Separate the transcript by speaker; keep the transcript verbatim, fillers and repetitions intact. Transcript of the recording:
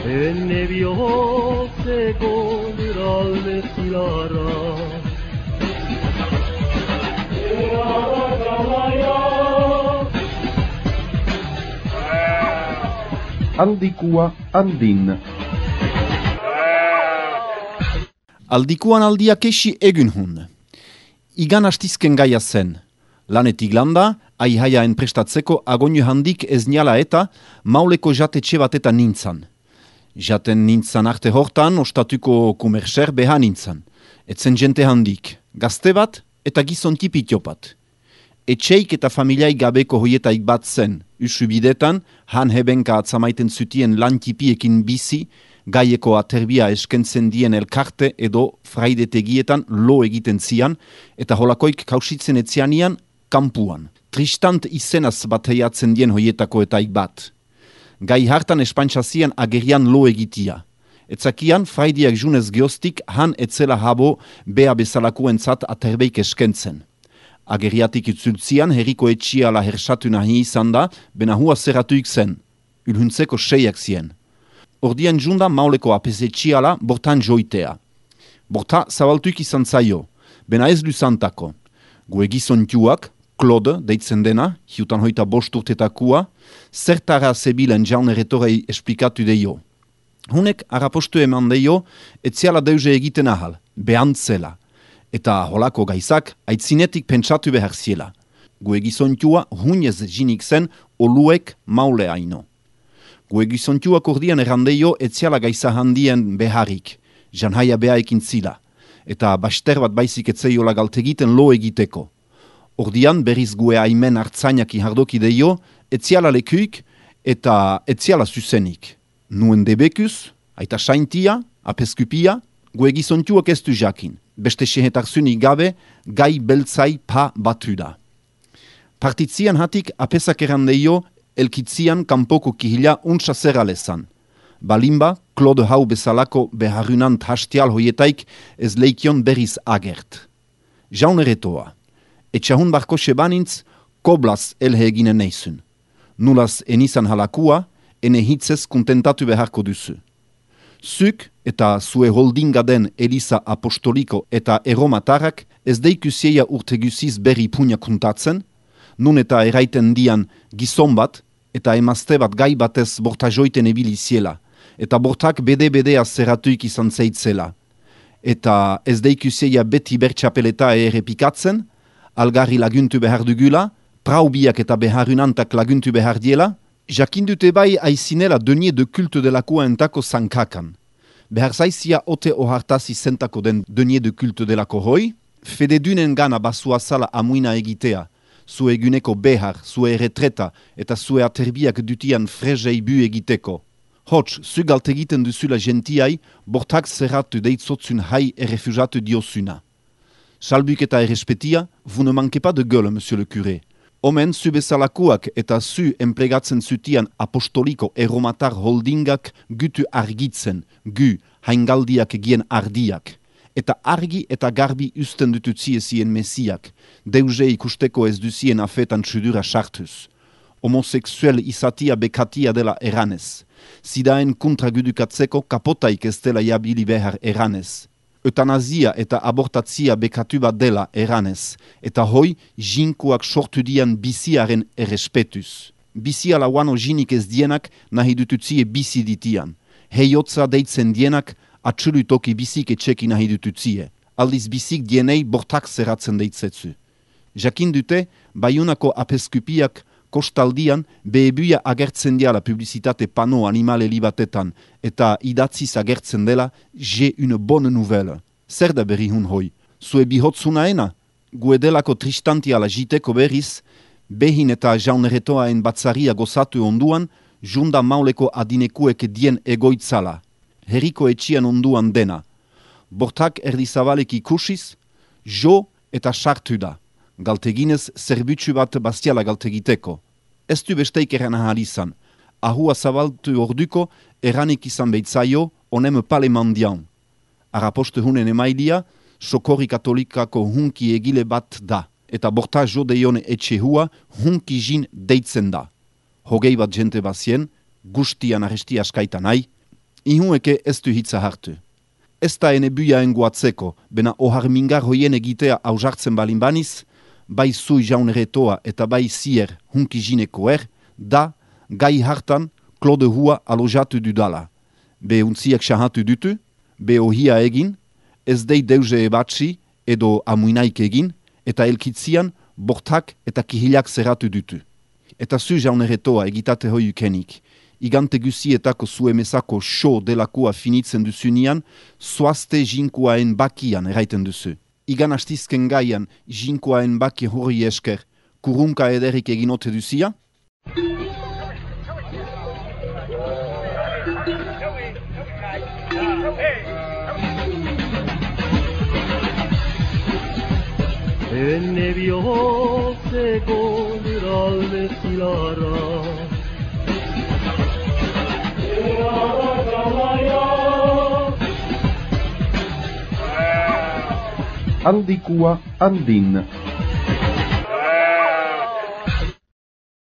Speaker 1: Enne bihozeko niralde zilara
Speaker 2: Aldikua andin.
Speaker 3: Aldikuan aldiak esi egun hun. Igan hastizken gaia zen. Lanetik landa, aihaia enprestatzeko agonu handik ez niala eta mauleko jatetxe bat eta nintzan. Jaten nintzan arte hortan, ostatuko kumerser beha nintzan. Etzen jente handik, gazte bat eta gizon tipitiopat. Etxeik eta familiai gabeko hoietaik bat zen, usu bidetan, han hebenka atzamaiten zutien lan tipiekin bizi, gaieko aterbia eskentzen dien elkarte edo fraidetegietan lo egiten zian, eta holakoik kausitzen etzianian, kampuan. Tristant izenaz bat heiatzen dien hoietako etaik bat. Gai hartan espantsazian agerian lo egitia. Etzakian, fraidiak junez geostik han etzela habo bea bezalakoentzat aterbeik eskentzen. Ageriatik itzultzian herriko etxiala hersatu nahi izan da, bena hua zerratuik zen, ulhuntzeko seiak zien. Ordian junda mauleko apesetxiala bortan joitea. Borta zabaltuik izan zaio, bena ez luzantako. Gue gizontuak, Claude, deitzen dena, hiutan hoita bost urtetakua, zertara zebilen jaun erretorei esplikatu deio. Hunek arapostu eman deio, etziala deuze egiten ahal, behantzela. Eta holako gaizak, aitzinetik pentsatu behar ziela. Gue gizontua hunez jinik zen oluek maule haino. Gue gizontuak ordian errandeio etziala gaiza handien beharrik, janhaia beha ekin zila, eta baster bat baizik etzeiola galtegiten lo egiteko. Ordian berriz gue aimen hartzainaki hardoki deio, etziala lekuik eta etziala zuzenik. Nuen debekuz, aita saintia, apeskupia, gue gizontuak ez du jakin. Beste sehetarzunik gabe, gai beltzai pa batu da. Partitzian hatik apesak errandeio, elkitzian kanpoko kihila untsa zeralezan. Balimba, Claude hau bezalako beharunant hastial hoietaik ez leikion berriz agert. Jaun erretoa. Etxahun barko sebanintz, koblaz elhe eginen neizun. Nulaz enizan halakua, ene hitzez kontentatu beharko duzu. Zuk eta zue holdinga den Elisa Apostoliko eta Erromatarrak ez deikusia urteguziz berri punia kontatzen, nun eta eraiten dian gizon bat eta emazte bat gai batez borta joiten ebiliziela, eta bortak bede-bedea zerratuik izan zeitzela. Eta ez deikusia beti bertxapeleta errepikatzen, algarri laguntu behar dugula, praubiak eta beharunantak laguntu behar diela, jakindute bai aizinela denie de kulte delakoa entako zankakan. Behar zaizia ote ohartazi zentako den denie de kulte delako hoi, fededunen gana basua zala amuina egitea, zue eguneko behar, zue retreta eta zue aterbiak dutian frezei bu egiteko. Hots, zu galtegiten duzula gentiai, bortak zerratu deitzotzun hai errefugatu diosuna. Salbuk eta errespetia, vous ne manquez pas de gueule, monsieur le curé. Omen, zu bezalakoak eta zu enplegatzen zutian apostoliko erromatar holdingak gutu argitzen, gu, haingaldiak gien ardiak. Eta argi eta garbi usten dututzie zien mesiak, deuze ikusteko ez duzien afetan txudura sartuz. Homosexuel izatia bekatia dela eranez. Zidaen kontra gudukatzeko kapotaik ez dela jabili behar eranez. Eutanazia eta abortatzia bekatu bat dela eranez, eta hoi jinkuak sortu dian biziaren errespetuz. Bizia lauano jinik ez dienak nahi dututzie bizi ditian. Heiotza deitzen dienak atxulutoki bizik etxeki nahi dututzie. Aldiz bizik dienei bortak zerratzen deitzetzu. Jakin dute, Baiunako apeskupiak kostaldian behebuia agertzen diala publizitate pano animale libatetan eta idatziz agertzen dela j'ai une bonne nouvelle. Zer da berri hun hoi? Zue bihotzunaena? Gue delako tristantiala jiteko berriz, behin eta jauneretoaen batzaria gozatu onduan, junda mauleko adinekuek dien egoitzala. Herriko etxian onduan dena. Bortak erdizabalek ikusiz, jo eta sartu da. Galteginez zerbutsu bat bastiala galtegiteko. Ez du besteik eran ahal izan. Ahua zabaltu orduko eranik izan beitzaio, onem pale mandian. Araposte hunen emailia, Sokorri Katolikako hunki egile bat da, eta borta jodeion etxehua hunki jin deitzen da. Hogei bat jente bazien, gustian arresti askaita nahi, ihueke ez du hitza hartu. Ez da ene buiaen guatzeko, bena ohar mingar hoien egitea ausartzen balin baniz, bai zui jaun retoa eta bai zier hunki jineko er, da gai hartan klode hua alojatu dudala. Be untziak sahatu dutu, be ohia egin, ez dei deuze ebatsi edo amuinaik egin, eta elkitzian bortak eta kihilak zerratu dutu. Eta zu jaun retoa egitate hoi ukenik. Igante guzietako zuemezako show delakua finitzen duzunian, zoazte jinkuaen bakian eraiten duzu. Igan astizken gaian jinkuaen baki hori esker, kurunka ederik eginote duzia?
Speaker 1: Enne bihotzeko luralde zilarra
Speaker 2: Aldikua andin.